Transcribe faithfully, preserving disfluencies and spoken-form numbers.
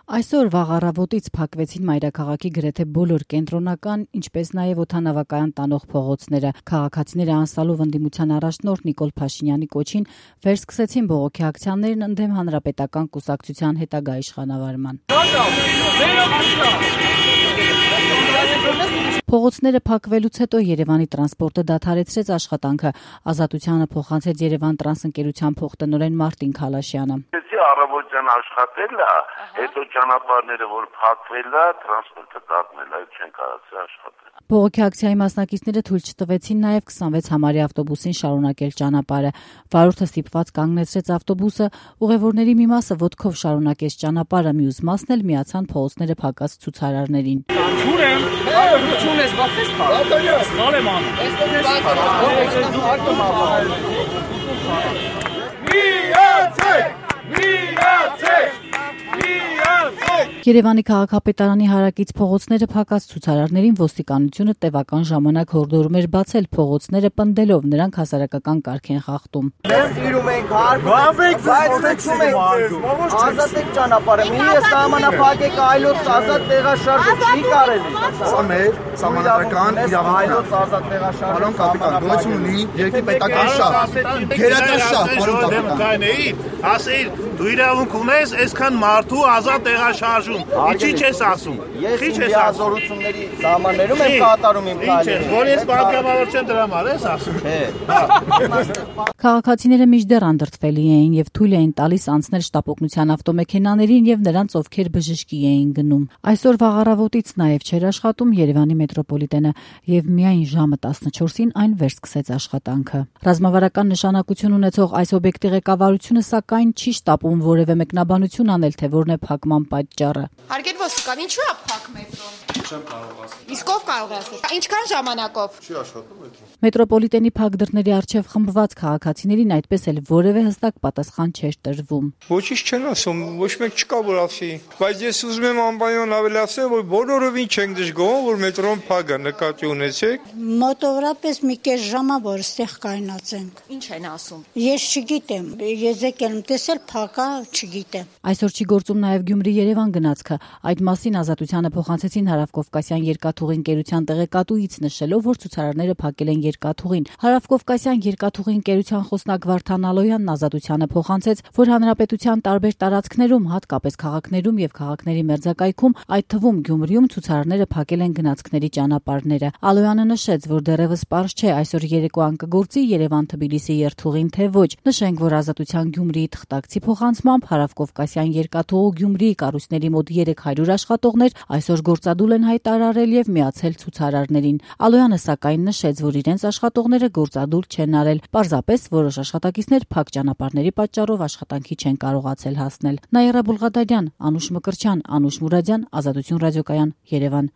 Այսօր վաղ առավոտից փակվեցին մայրաքաղաքի գրեթե բոլոր կենտրոնական, ինչպես նաև օդանավակայան տանող փողոցները։ Քաղաքացիները անցալով ընդդիմության առաջնորդ Նիկոլ Փաշինյանի կոչին վերսկսեցին բողոքի ակցիաներն ընդդեմ Հանրապետական կուսակցության հետագա իշխանավարման։ Փողոցները փակվելուց հետո Երևանի տրանսպորտը դադարեցրեց աշխատանքը։ Ազատությանը փոխանցեց Երևան տրանս ընկերության փոխտնօրեն Մարտին Քալաշյանը։ Առավոտյան աշխատել է, հետո ճանապարհները որ փակվել է, տրանսպորտը դառնել է, չեն կարողացել աշխատել։ Բողոքի ակցիայի մասնակիցները թույլ չտվեցին նաև քսանվեց համարի ավտոբուսին շարունակել ճանապարհը։ Վարորդը ստիպված կանգնեցրեց ավտոբուսը, ուղևորների մի մասը ոտքով շարունակեց ճանապարհը, մյուս մասն էլ միացան փողոցները փակած ցուցարարներին։ Երևանի քաղաքապետարանի հարակից փողոցները փակած ցուցարարներին ոստիկանությունը տևական ժամանակ հորդորում էր բացել փողոցները, պնդելով նրանք հասարակական կարգ են խախտում։ Մենք իրում ենք հարկ, ազատեք ճանապարհը, մի սահմանափակեք այլոց ազատ տեղաշարժը չի կարելի։ Սա մեր սահմանադրական իրավունքն է։ Ազատ տեղաշարժը Պարոն կապիտան, գոյություն ունի երկրի պետական շահ, գերական շահ, պարոն կապիտան։ Ասիր, դու իրավունք ունես այսքան մարդու ազատ տեղաշարժում։ Ինչի՞ չես ասում։ Ես լիազորությունների սահմաններում եմ կատարում իմ քայլերը։ Որ ես պատգամավոր չեմ դրա համար ես ասում։ Քաղաքացիները մինչդեռ անդրդվելի էին եւ թույլ էին տալիս անցնել շտապօգնության ավտոմեքենաներին եւ նրանց, ովքեր բժշկի էին գնում։ Այսօր վաղ առավոտից նաեւ չէր աշխատում Երևանի մետրոպոլիտենը եւ միայն ժամը տասնչորսին այն վերսկսեց աշխատանքը։ Ռազմավարական նշանակություն ունեցող այս օբյեկտի ղեկավարությունը սակայն չի շտապում որևէ մեկնաբանություն անել, թե որն է փակման պատճառը։ Հարգելի ոստիկան, ինչու է փակ մետրոն։ Չեմ կարող ասել։ Իսկ ով կարող է ասել։ Ինչքան ժամանակով։ Չի աշխատում մետրոն։ Մետրոպոլիտենի փակ դռների առջև խմբված քաղաքացիներին այդպես էլ որևէ հստակ պատասխան չէր տրվում։ Ոչինչ չեն ասում, ոչ մեկ չկա որ ասի, բայց ես ուզում եմ անպայման ավելացնել, որ բոլորովին չենք դժգոհում, որ մետրոն փակ է, նկատի ունեցեք։ Մոտավորապես մի կես ժամ է, որ ստեղ կայնացենք։ Ինչ են ասում։ Ես չգիտեմ, ես եկել եմ տեսել փակ է, չգիտեմ։ Այսօր չի գործում նաև Գյումրի-Երևան գնացքը։ Այդ մասին Ազատությանը փոխանցեցին Հարավկովկասյան երկաթուղի ընկերության տեղեկատուից, նշելով, որ ցուցարարները փակել են երկաթուղին։ Հարավկովկասյան երկաթուղի ընկերության խոսնակ Վարդան Ալոյանն Ազատությանը փոխանցեց, որ հանրապետության տարբեր տարածքներում, հատկապես քաղաքներում եւ քաղաքների մերձակայքում, այդ թվում Գյումրիում ցուցարարները փակել են գնացքների ճանապարհները։ Ալոյանը նշեց, որ դեռևս պարզ չէ այսօր երեկոյան կգործի Երևան-Թբիլիսի երթուղին, թե ոչ։ Նշենք, որ Ազատության Գյումրիի թղթակցի փոխանցմամբ Հարավկովկասյան երկաթուղու Գյումրիի կառույցների մոտ երեք հարյուր աշխատողներ այսօր գործադուլ են հայտարարել եւ միացել ցուցարարներին։ Ալոյանը սակայն նշեց, որ իրենց աշխատողները գործադուլ չեն արել, պարզապես որոշ աշխատակիցներ փակ ճանապարհների պատճառով աշխատանքի չեն կարողացել հասնել։ Նաիրա Բուլղադարյան, Անուշ Մկրտչյան, Անուշ Մուրադյան, Ազատություն ռադիոկայան, Երևան։